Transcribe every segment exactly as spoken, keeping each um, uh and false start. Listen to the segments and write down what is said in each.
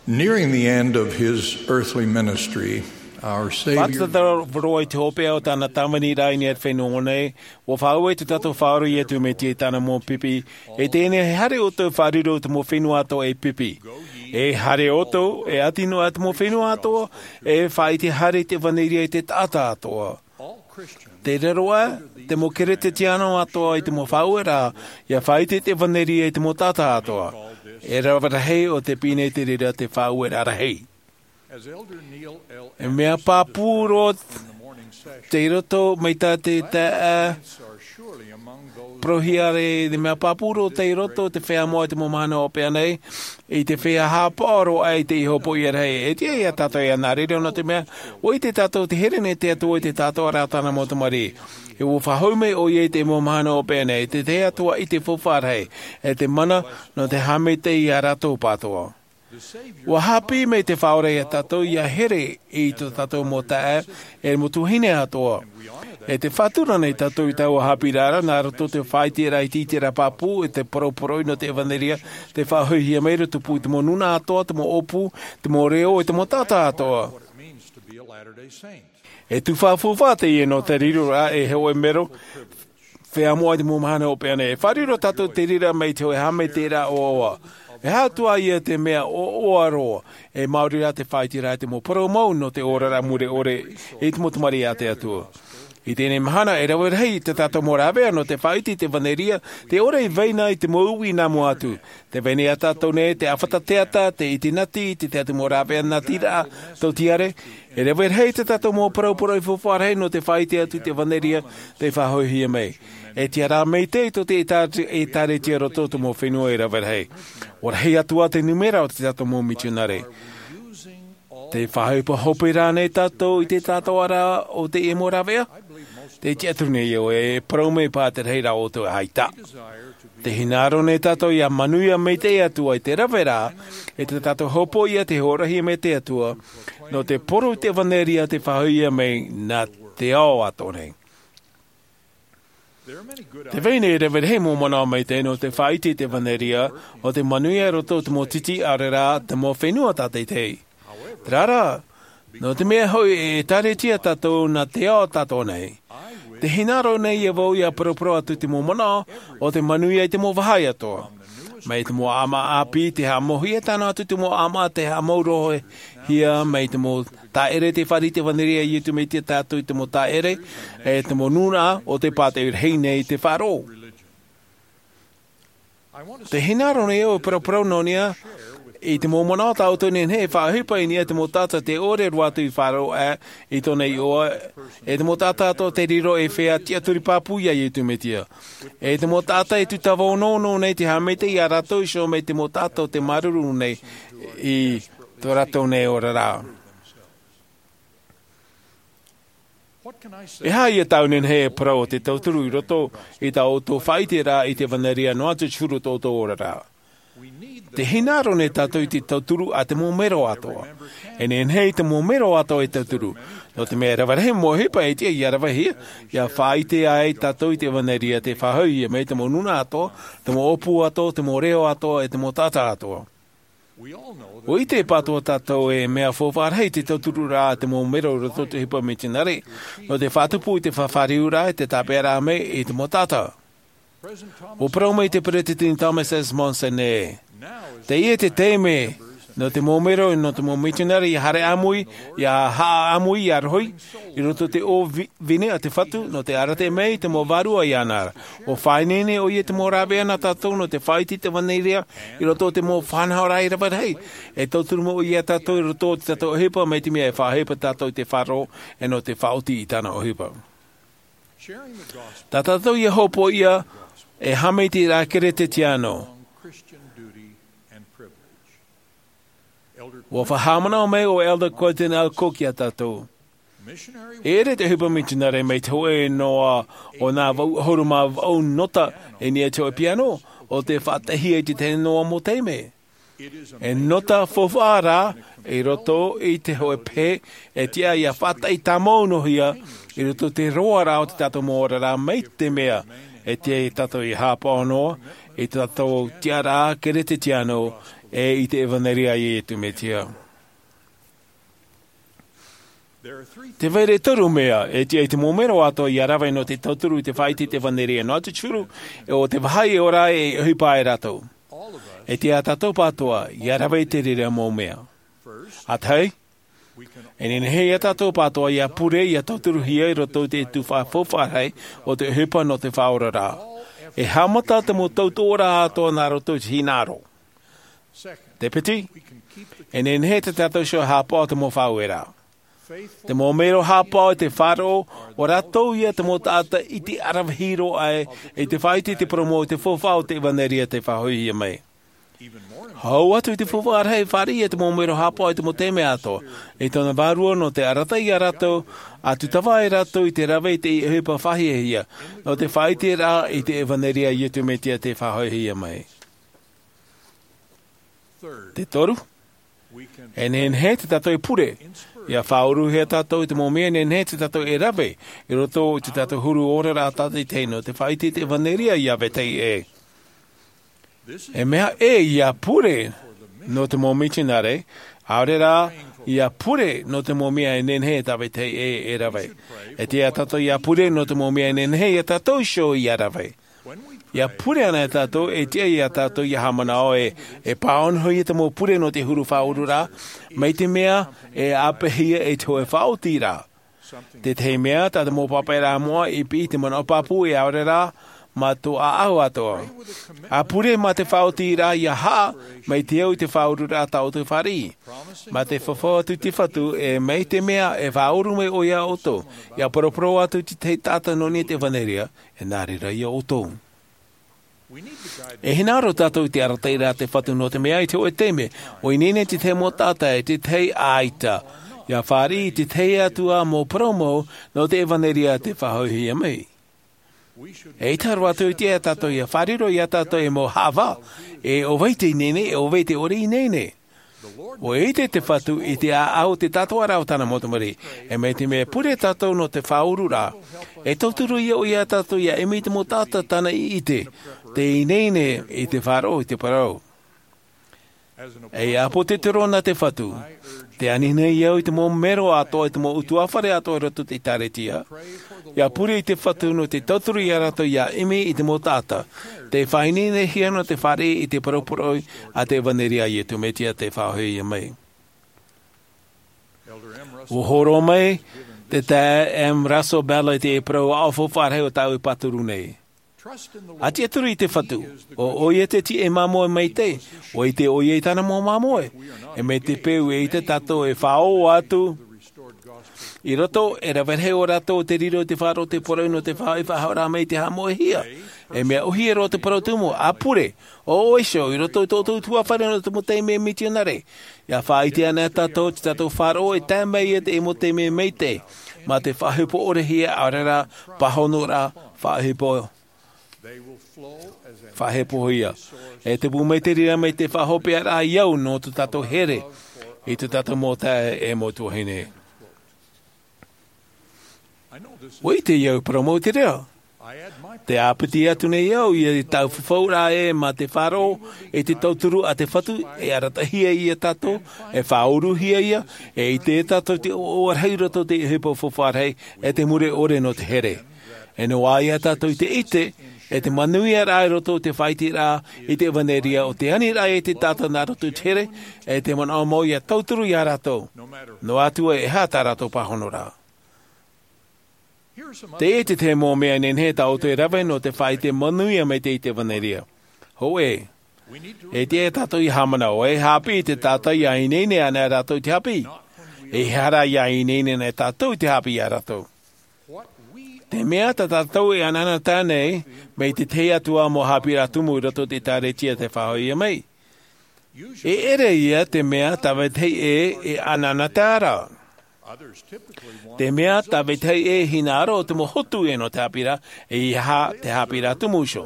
Nearing the end of his earthly ministry, our Savior Fātata roa i te hopeʻa o tāna tāvini rā i niʻa i te fenua nei, ua faʻaue tō tātou Faʻaora Iesu Mesia i tāna mau pipi, e teie nei, haere ʻoutou e faʻariro i te mau fenua atoʻa e pipi. E haere ʻoutou, e ʻati noa i te mau fenua atoʻa, e faʻaʻite haere i te ʻevaneria i te taʻata atoʻa. Te raro ā, te mau Kerisetiano atoʻa i te mau faʻaueraʻa, ʻia faʻaʻite i te ʻevaneria i te mau taʻata atoʻa. E rave rahi ʻo tē piʻi nei i te reira te faʻaueraʻa rahi. E mea pāpū roa tei roto mai tā te taeaʻe parauhia, e mea pāpū roa tei roto te feiā moʻa i te mau mahana hopeʻa nei, i te feiā haʻapaʻo roa i te hopoiʻa rahi. E tiʻa ia tātou ʻia nā reira, nō te mea, ʻua ʻite tātou tē here nei te Atua i te taʻatoʻaraʻa o tāna mau tamariʻi. E ʻua faʻahoʻi mai ʻoia i te mau mahana hopeʻa nei, te tahi atu ā i te faufaʻa rahi, e te mana nō te haʻamaitaʻi ia rātou pāʻatoʻa. ʻUa haʻapiʻi mai te Faʻaora ia tātou ʻia here i tō tātou mau taeaʻe, e mau tuahine atoʻa. E tē faʻatura nei tātou i taua haʻapiʻiraʻa ra, nā roto i te faʻaʻiteraʻa iti, te reira pāpū, e te poroporoʻi nō te ʻevaneria, tē faʻahoʻihia mai ra i tupu i te mau nūnaʻa atoʻa, te mau ʻōpū, te mau reo, e te mau taʻata atoʻa. E tū faufaʻa teie nō te riroraʻa e hōʻē mero feiā moʻa i te mau mahana hopeʻa nei. E faʻariro tātou i te reira mai te hōʻē haʻamaitaʻiraʻa ʻoaʻoa. E aha atu ā ia te mea ʻoaʻoa roa, e maori rā te faʻaʻiteraʻa i te mau parau mau nō te oraraʻa mure ʻore i te mau tamariʻi a te Atua. I teie mahana, e rave rahi tā tātou mau rāveʻa nō te faʻaʻite i te ʻevaneria, tē ʻore i vai na i te mau uʻi nā mua atu. Tē vai nei ia tātou nei te ʻāfata teata, te ʻite nati, te tahi atu mau rāveʻa natiraʻa tauihaʻa. E rave rahi tā tātou mau poroporoʻi faufaʻa rahi nō te faʻaʻite atu i te ʻevaneria tē faʻahoʻihia mai. E tiʻa rā maitaʻi tō te ʻēkā-, ʻēkālesia i roto i te mau fenua e rave rahi. ʻUa rahi atu ā te nūmera o tā tātou mau mitionare. Tē faʻaʻohipa hope ra nei tātou i te taʻatoʻaraʻa o teie mau rāveʻa? Tē tiʻaturi nei au e parau mai paha te rahiraʻa o te ʻaita. Tē hinaʻaro nei tātou ʻia manuia maitaʻi atu ai te rave ra, e tā tātou hopoiʻa tē hōroʻahia mai e te Atua, nō te poro i te ʻevaneria tē faʻahoʻihia mai nā te ao atoʻa nei. Tē vai nei e rave rahi mau manaʻo maitaʻi nō te faʻaʻite i te ʻevaneria, ʻo tē manuia i roto i te mau tītīʻaraʻa, te mau fenua tātaitahi. Terā rā, nō te mea hoʻi e ʻēkālesia tātou nā te ao atoʻa nei, tē hinaʻaro nei au ʻia paraparau atu i te mau manaʻo o tē manuia i te mau vāhi atoʻa. Mai te mau ʻāmaʻa ʻāpī tē haʻamauhia, tae noa atu i te mau ʻāmaʻa tē haʻamaurohia, mai te mau tāʻere tē fāriʻi i te ʻevaneria a Iesu Mesia ia tātou, i te mau tāʻere, e te mau nūnaʻa o tē pātoʻi rahi nei i te faʻaroʻo. Tē hinaʻaro nei au e paraparau nō niʻa i te mau manaʻo tā ʻoutou e nehenehe e faʻaʻohipa i niʻa i te mau taʻata tē ʻore roa atu i faʻaroʻo i tōna iʻoa, e te mau taʻata atoʻa tē riro ei feiā tiʻaturi pāpū ia Iesu Mesia. E te mau taʻata e tūtava onoono nei te haʻamaitaʻi ia rātou iho mai te mau taʻata o tē māuruuru nei i tō rātou nei oraraʻa. E aha ia tāʻu e nehenehe e parau ʻo te tauturu i roto i tā ʻoutou faʻaʻiteraʻa i te ʻevaneria noa atu i te huru o tō ʻoutou oraraʻa? Tē hinaʻaro nei tātou i te tauturu a te mau mero atoʻa. E nehenehe te mau mero atoʻa e tauturu. Nō te mea e rave rahi mau ʻohipa e tiʻa ʻia ravehia, ʻia faʻaʻite ai tātou i te ʻevaneria tē faʻahoʻihia mai i te mau nūnaʻa atoʻa, te mau ʻōpū atoʻa, te mau reo atoʻa, e te mau taʻata atoʻa. ʻUa ʻite pāʻatoʻa tātou e mea faufaʻa rahi te tautururaʻa a te mau mero i roto i te ʻohipa mitionare, nō te faʻatupu i te fāriuraʻa, te tāpeʻaraʻa mai i te mau taʻata. ʻUa parau mai te Peresideni Thomas S. Monson ē, teie te taime nō te mau mero, nō te mau mitionare ʻia haere ʻāmui, ʻia haʻa ʻāmui, ʻia rohi i roto i te ʻō vi-, vine a te Fatu, nō te arataʻi mai i te mau vārua iāna ra. ʻUa faʻaineine ʻoia i te mau rāveʻa nā tātou nō te faʻaʻite i te ʻevaneria i roto i te mau faʻanahoraʻa e rave rahi. E tauturu mai ʻoia ia tātou i roto i tō tātou ʻohipa, mai te mea e faʻaʻohipa tātou i te faʻaroʻo, e nō te faʻaoti i tāna ʻohipa. Tā tātou ʻia hopoiʻa e haʻamaitaʻiraʻa Kerisetiano. ʻUa faʻahaʻamanaʻo mai ʻo Elder Quentin L. Cook ia tātou. E ʻere te ʻohipa mitionare mai te hōʻē noa o nā vaʻu ʻahuru mā vaʻu nota i niʻa i te hōʻē piano, ʻo tē faʻataʻihia i te tahi noa mau taime. E nota faufaʻa rā i roto i te hōʻē pehe, e tiʻa ʻia faʻataʻi tāmau noahia i roto i te roaraʻa o tō tātou mau oraraʻa, mai te mea e tiʻa ia tātou ʻia haʻapaʻo noa i tō tātou tiʻaraʻa Kerisetiano e i te evanelia a Iesu Mesia. Te vai ra toru mea e tiʻa i te mau mero atoa ia rave nō te tauturu i te faʻaite i te evanelia. Noa atu te huru, e ʻo te vāhi e ora ai e ʻohipa ai rātou. E tiʻa tātou pātoa ia rave i te reira mau mea. ʻA tahi, e nehenehe ia tātou pātoa ia pure ia tauturuhia i roto i te tuhaʻa faufaʻa rahi o te ʻohipa nō te faʻaoraraʻa. E haʻamata te mau tautoʻoraʻa atoa nā roto i te hinaʻaro. Te piti, e nehenehe te tātou iho e haʻapaʻo te mau faʻaueraʻa. Te mau mero haʻapaʻo i te faʻaroʻo, ʻo rātou ia te mau taʻata ʻite ʻaravihi roa aʻe i te faʻaite i te parau mau i te faufaʻa o te evanelia tei faʻahoʻihia mai. Hau atu i te faufaʻa rahi, fāriʻi ia te mau mero haʻapaʻo i te mau taime atoa i tōna vārua nō te arataʻi ia rātou, ʻa tūtava ai rātou i te rave i te ʻohipa faʻahiahia nō te faʻaiteraʻa i te evanelia a Iesu Mesia tei faʻahoʻihia mai. Te toru, e nehenehe te tātou e pure ia faʻauruhia tātou i te mau mea e nehenehe te tātou e rave i roto i te tātou huru oraraʻa tātaʻitahi nō te faʻaite i te evanelia ia vetahi ʻē. E mea ʻē ia pure nō te mau mitionare, ʻaore rā ia pure nō te mau mea e nehenehe tā vetahi ʻē e rave. E tiʻa tātou ia pure nō te mau mea e nehenehe ia tātou iho ia rave. Ia pure ana e tātou, e tiʻa ia tātou ia haʻamanaʻo ē, e pāhonohia te mau pure nō te huru faʻaururaʻa mai te mea e ʻāpeʻehia e te hōʻē faʻaotiraʻa. Tētahi mea, tā te mau pāpaʻiraʻa moʻa i piʻi i te manaʻo pāpū, e ʻaore rā mā tō ʻāʻau atoa. ʻA pure mā te faʻaotiraʻa ia haʻa mai te au i te faʻaururaʻa tā ʻoutou e fāriʻi. Mā te fafau atu i te Fatu, e mai te mea e faʻauru mai ʻoia iā ʻoutou, ia paraparau atu i te tahi taʻata nō niʻa i te evanelia, e nā reira ia ʻoutou. E hinaʻaro tātou i te arataʻiraʻa a te Fatu, nō te mea i te hōʻē taime ʻua ineine te tahi mau taʻata e te tahi ʻaita ia fāriʻi i te tahi atu ā mau parau mau nō te evanelia tei faʻahoʻihia mai. E ʻaita roa atu i te tiʻa iā tātou ia fārerei iā tātou e mau haʻavā, e ʻo vai te ineine, e ʻo vai te ʻore ineine. ʻUa ʻite te Fatu i te ʻāʻau o te tātaraʻa o tāna mau tamariʻi. E mai te mea e pure tātou nō te faʻaururaʻa, e tauturu ia ʻoia iā tātou ia ʻimi i te mau taʻata tāna i ʻite, tei ineine i te faʻaroʻo i te parau. Ei ʻāpōsetolo nā te Fatu, tē ani nei au i te mau mero atoa, i te mau ʻutuāfare atoa i roto i te ʻĒkālesia, ia pure i te Fatu nō te tauturu iā rātou ia ʻimi i te mau taʻata tei faʻaineinehia nō te fāriʻi i te parau poroʻi a te evanelia a Iesu Mesia tei faʻahoʻihia mai. ʻUa hōroʻa mai te taeaʻe M. Russell Ballard i te parau aʻo faufaʻa rahi o tāʻu e pāturu nei. ʻA tiʻaturi i te Fatu, ʻo ʻoia te tiʻa e māmoe maitaʻi, ʻua ʻite ʻoia i tāna mau māmoe. E mai te peu e ʻite tātou e faʻaō atu i roto, e rave rahi ʻo rātou o te riro i te faʻaroʻo i te poroʻi nō te faʻaʻite faʻahoʻiraʻa mai i te haʻamoʻehia. E mea ʻōhie roa te parau tumu, ʻa pure, ʻo ʻoe iho i roto i tō ʻoutou ʻutuāfare nō te mau taime mitionare. Ia faʻaʻite ana tātou i tā tātou faʻaroʻo e tae mai ia te mau taime maitaʻi, mā te faʻahepo ʻorehia, ʻaore rā pāhonoraʻa faʻahepo, faʻahepohia. E tupu mai te reira mai te faʻahopeʻaraʻa i au nō tō tātou here i tō tātou mau taeaʻe e mau tuahine. ʻUa ʻite au e parau mau te reira. Tē ʻāpiti atu nei au ia i tāʻu fafauraʻa ē, mā te faʻaroʻo i te tauturu a te Fatu, e arataʻihia ia tātou, e faʻauruhia ia, e ʻite tātou te ʻoaʻoa rahi i roto i te ʻohipa faufaʻa rahi, e te mure ʻore nō te here. E noaʻa ia tātou i te ʻite, e te manuiaraʻa i roto i te faʻaiteraʻa i te evanelia, ʻo te aniraʻa i te taʻata nā roto i te here, e te manaʻo mau ia tauturu iā rātou, noa atu ā e aha tā rātou pāhonoraʻa. Teie te tahi mau mea e nehenehe tā ʻoutou e rave nō te faʻaite manuia maitaʻi i te evanelia. Hōʻē, e tiʻa ia tātou ia haʻamanaʻo, e haʻapiʻi i te taʻata ia ineine ana rātou i te haʻapiʻi. ʻEiaha rā ia ineine ana tātou i te haʻapiʻi iā rātou. Te mea tā tātou e anaanatae nei, mai te tahi atu ā mau haʻapiʻiraʻa tumu i roto i te ʻĒkālesia tei faʻahoʻihia mai. E ʻere ia te mea tā vetahi ʻē e anaanatae ra. Te mea tā vetahi ʻē e hinaʻaro te mau hotu ē nō te haʻapiʻiraʻa, ʻeiaha te haʻapiʻiraʻa tumu iho.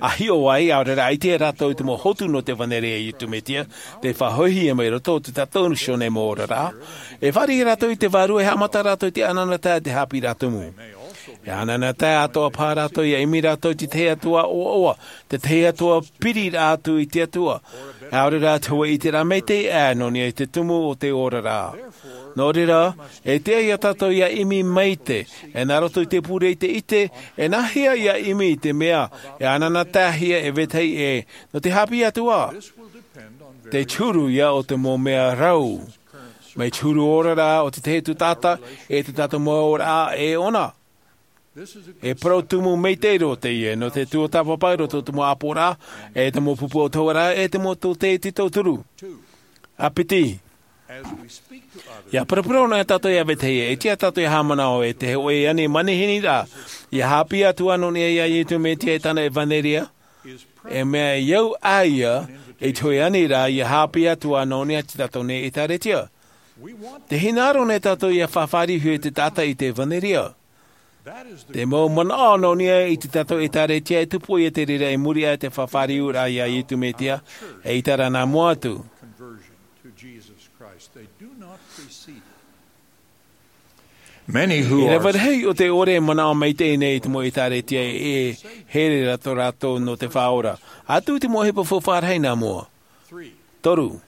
ʻA hiʻo ai, ʻaore rā ʻaita rātou i te mau hotu nō te evanelia a Iesu Mesia, tei faʻahoʻihia mai i roto i tō tātou nei mau oraraʻa. E fāriʻi rātou i te vārua, e haʻamata rātou i te anaanatae i te haʻapiʻiraʻa tumu. E ananahi atoʻa paha rātou ia ʻimi rātou i te tahi atua ʻoaʻoa, te tahi atua piri rā atu i te atua. ʻAore rā te hōʻē ʻiteraʻa maitaʻi ʻā nō niʻa i te tumu o te oraraʻa. Nō reira, e tiʻa ia tātou ia ʻimi maitaʻi, e nā roto i te pure i te ʻite, e nāhea ia ʻimi i te mea e ananahi hia e vetahi ʻē nō te hāpiʻi atu ā. Te huru ia o te mau mea rau mai te huru oraraʻa o te tahi atu taʻata, e te taʻata mau oraraʻa e ʻona. E parau tumu maitaʻi roa teie nō te tuatāpapa i roto i te mau ʻāpoʻoraʻa, e te mau pupu o te hōʻēraʻa, e te mau tōtē i te tauturu. A piti, ia paraparau ana tātou ia vetahi ʻē, e tiʻa tātou ia haʻamanaʻo e te hōʻē ani manihini rā ia hāpiʻi atu ā nō niʻa ia iesu mesia e tāna ʻevanelia. E mea au ʻā ia i te hōʻē ani rā ia hāpiʻi atu ā nō niʻa i tā tātou nei ʻētāretia. Te hinaʻaro nei tātou ia faʻafāriuhia e te taʻata i te ʻevanelia. Te mau manaʻo nō niʻa i tā tātou ʻētāretia e tupu ia te reira i muri aʻe i te faʻafāriuraʻa ia iesu mesia, e ʻiteraʻa nā mua atu. E rave rahi o te ʻore e manaʻo maitaʻi nei i te mau ʻētāretia e here rātou rātou nō te faʻaora atu i te mau ʻohipa faufaʻa rahi nā mua. Toru,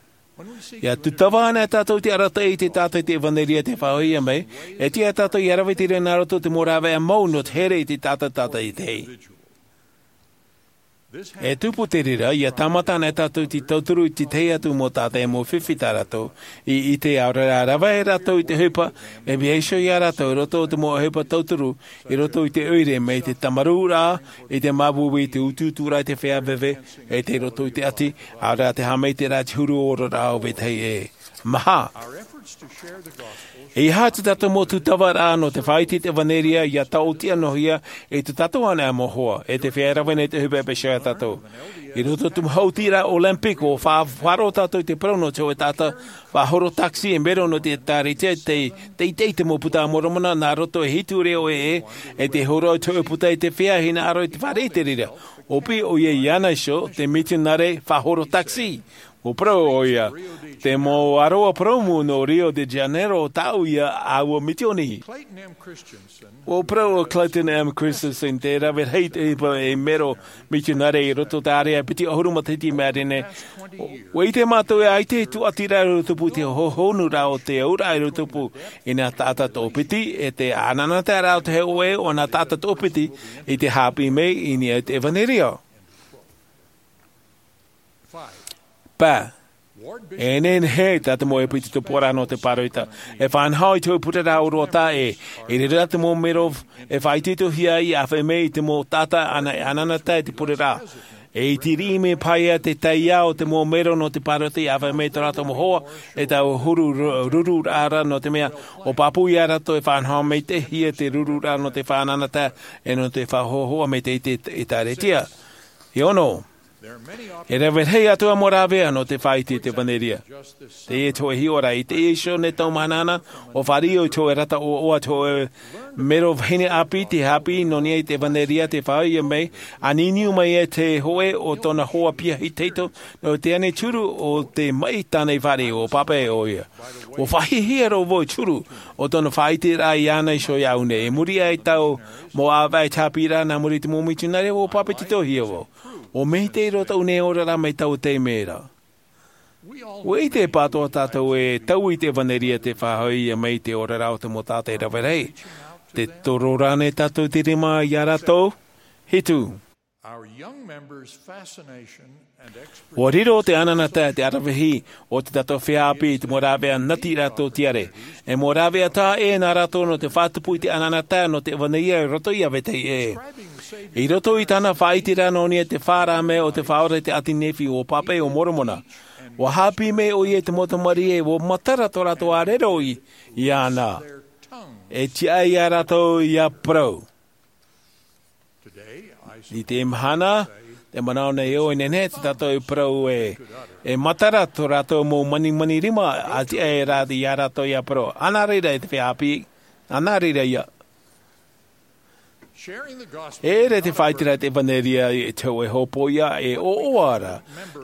ia tūtava ana tātou i te arataʻi i te taʻata i te ʻevanelia te faʻahoʻihia mai, e tiʻa tātou ia rave te reira nā roto i te mau rāveʻa mau nō te here i te taʻata taʻata i te hei. E tupu te reira ia tāmata ana tātou i te tauturu i te tahi atu mau taʻata e mau fifi tā rātou i ʻite ʻaore rā rave rātou i te ʻohipa e vaiiho ia rātou i roto i te mau ʻohipa tauturu, i roto i te ʻoire mai te tamarūraʻa, i te māuiui, i te utuuturaʻa, i te feiā veve, e i roto i te ʻati, ʻaore rā te haʻamaitaʻiraʻa i te huru oraraʻa o vetahi ʻē. Maha, e aha tā tātou mau tūtavaraʻa nō te faʻaʻite i te ʻevanelia ia taʻotiʻa noa hia i tā tātou anaʻe mau hoa e te feiā rave nei te ʻohipa e vaiiho ia tātou. I roto i te mau hautiraʻa Olympic ua faʻaroʻo tātou i te parau nō te hōʻē taʻata faʻahoro taxi e mero nō te ʻētāretia, te teitei i te mau buka a Moromona nā roto e hitu reo ʻē, e te horo i te hōʻē buka i te feiā hinaʻaro i te fare i te reira. ʻO pī ʻoia iāna iho te mitionare faʻahoro taxi. Ua parau ʻoia, te mau ʻaroʻa purōmu nō Rio de Janeiro tāʻu ia ʻāua mitioni. Ua parau ʻo Clayton M. Christensen, te rave rahi i te ʻohipa e mero mitionare i roto i te ʻārea piti ʻahuru matahiti i maʻiri nei. Ua ʻite mātou e ʻaita e tūʻatiraʻa i roto pū i te hohonuraʻa o te auraʻa i roto pū i nā taʻata toʻopiti, e te ananahi rā o te hōʻē o nā taʻata toʻopiti i te hāpiʻi mai i niʻa i te ʻevanelia. Pae, e nehenehe tā te mau ʻohipa i te tupuraʻa nō te pāroita e faʻanaho i te hōʻē pureraʻa ʻōroʻa taʻa ʻē. I reira te mau mero e faʻaitoitohia ai i ʻāfaʻi mai i te mau taʻata ʻana e ananahi i te pureraʻa. E iti riʻi mai paha ia te taiā o te mau mero nō te pāroita i ʻāfaʻi mai i tō rātou mau hoa, e taua huru ru-, rururaʻa ra, nō te mea ʻua pāpū ia rātou e faʻanaho maitaʻihia te rururaʻa nō te faʻananahi e nō te faʻahoʻahoʻa maitaʻi i te ʻētāretia. E ono, e rave rahi atu ā mau rāveʻa nō te faʻaʻite i te ʻevanelia. Teie te hōʻē hiʻoraʻa, i teie iho nei tau mahana, ʻua fāriʻi au i te hōʻē rata ʻoaʻoa, te hōʻē mero vahine ʻāpī, te hāpiʻi nō niʻa i te ʻevanelia te faʻahoʻihia mai, a niuniu mai ai te hōʻē o tōna hoa piahi tahito, nō te ani turu o te maʻi tāna i fāriʻi. ʻUa pāpaʻi ʻoia. ʻUa faʻahiahia roa vau i te huru o tōna faʻaʻiteraʻa iāna iho iāʻu nei. I muri aʻe i tāʻu mau ʻāvaʻe i te hāpiʻiraʻa nā muri i te mau mitionare, ʻua pāpetitohia vau. ʻUa maitaʻi roa tāʻu nei oraraʻa mai taua taime ra. ʻUa ʻite pātoʻa tātou e taui i te ʻevanelia te faʻahoʻihia mai i te oraraʻa o te mau taʻata e rave rahi. Tē toro ra ānei tātou i te rima ia rātou? Hitu. Our young members' fascination and expertise ʻUa riro te ananahi, te aravihi o tā tātou feiā ʻāpī i te mau rāveʻa nati rātou tiare. E mau rāveʻa taʻa ʻē nā rātou nō te faʻatupu i te ananahi nō te ʻevanelia i roto ia vetahi ʻē. I roto i tāna faʻaʻiteraʻa nō niʻa i te fārā mea o te Faʻaora i te ʻāti Nephi, ʻua pāpaʻi ʻo Moromona. ʻUa hāpiʻi mai ʻoia i te mau tamariʻi, ʻua matara tō rātou ʻāreroʻi iāna. E tiʻa ia rātou ia parau. I teie mahana, tē manaʻo nei au e nehenehe tā tātou e parau ē, e matara tō rātou mau manimani rima, ʻa tiʻa rā ia rātou ia parau. ʻĀnā reira e te feiā ʻāpī, ʻānā reira ia. E ʻere te faʻaiteraʻa te ʻevanelia i te hoʻe hōpoiʻa e ʻoaʻoa ra.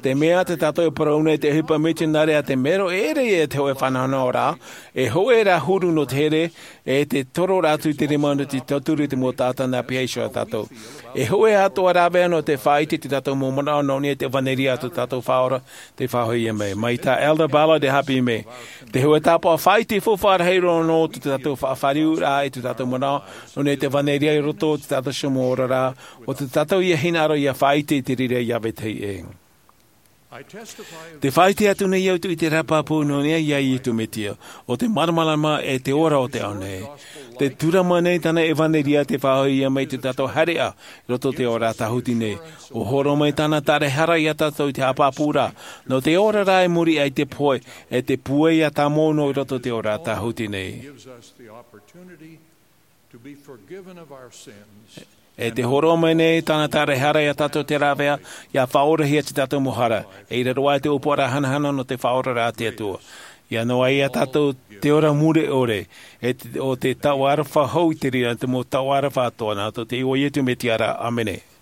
Te mea te tātou e parau nei te ʻohipa mitionare a te mero e ʻere ia te hoʻe fanahonahoraʻa, e hoʻe rā huru nō te here, e te toro rā atu i te rima nō te tauturu i te mau taʻata nā piha iho ia tātou. E hoʻe atoʻa rāveʻa nō te faʻaite i te tātou mau manaʻo nō niʻa i te ʻevanelia a tō tātou faʻaora, te faʻahoʻi mai mai tā Elder Ballard e haʻapiʻi mai. Te hoʻe tāpaʻo faʻaite faufaʻa rahi roa nō te tātou faʻafāriuraʻa i tō tātou manaʻo nō niʻa i te ʻevanelia i roto i tō tātou mau oraraʻa, ʻo tō tātou ia hinaʻaro ia faʻaite i te reira ia vetahi ʻē. Te faʻaite atu nei au i te rā pāpū nō niʻa iā Iesu Mesia, ʻo te māramarama e te ora o te ao nei. Te tūrama nei tāna ʻevanelia te faʻahoʻi mai i tō tātou haereʻa i roto i te oraraʻa tāhuti nei. ʻUa hōroʻa mai tāna tāraehara iā tātou i te haʻapāpūraʻa nō te oraraʻa i muri aʻe i te pohe, e te pūai tāmau noa i roto i te oraraʻa tāhuti nei. E te hōroʻa mai nei tāna tāraehara iā tātou te rāveʻa, ia faʻaorahia tō tātou mau hara, e ʻere roa i te ʻōpuaraʻa hanahana nō te Faʻaoraraʻa a te Atua. Ia noaʻa iā tātou te ora mure ʻore, e te, ʻo te taʻata aroha hou i te reira te mau taʻata aroha atoʻa nā roto i te iʻoa o Iesu Mesia ra. ʻĀmene.